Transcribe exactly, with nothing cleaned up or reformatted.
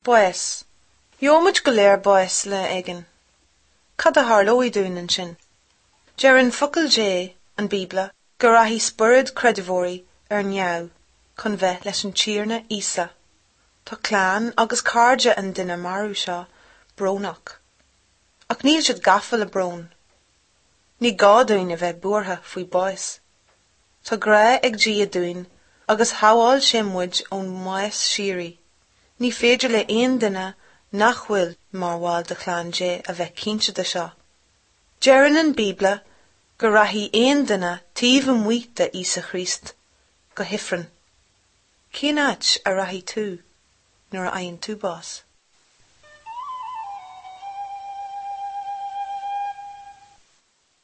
Bás. Gheobhaimid go léir bás lá éigin. Cad a tharlóidh dúinn ansin? Deireann focal Dé, an Bíobla, go rachaidh spiorad creidmheoirí ar neamh chun bheith leis an Tiarna Íosa. Tá clann agus cairde an duine marbh seo brónach. Ach níl siad gafa le brón. Ní gá dúinn a bheith buartha faoi bás. Tá grá ag Dia dúinn agus shábháil sé muid ón mbás síoraí. Ní féidir le aon duine nach bhfuil mar bhall de chlann Dé a bheith cinnte de seo. Deireann an Bíobla go rachaidh aon duine taobh amuigh de Íosa Chríost go hifreann. Cén áit a rachaidh tú nuair a fhaigheann tú bás?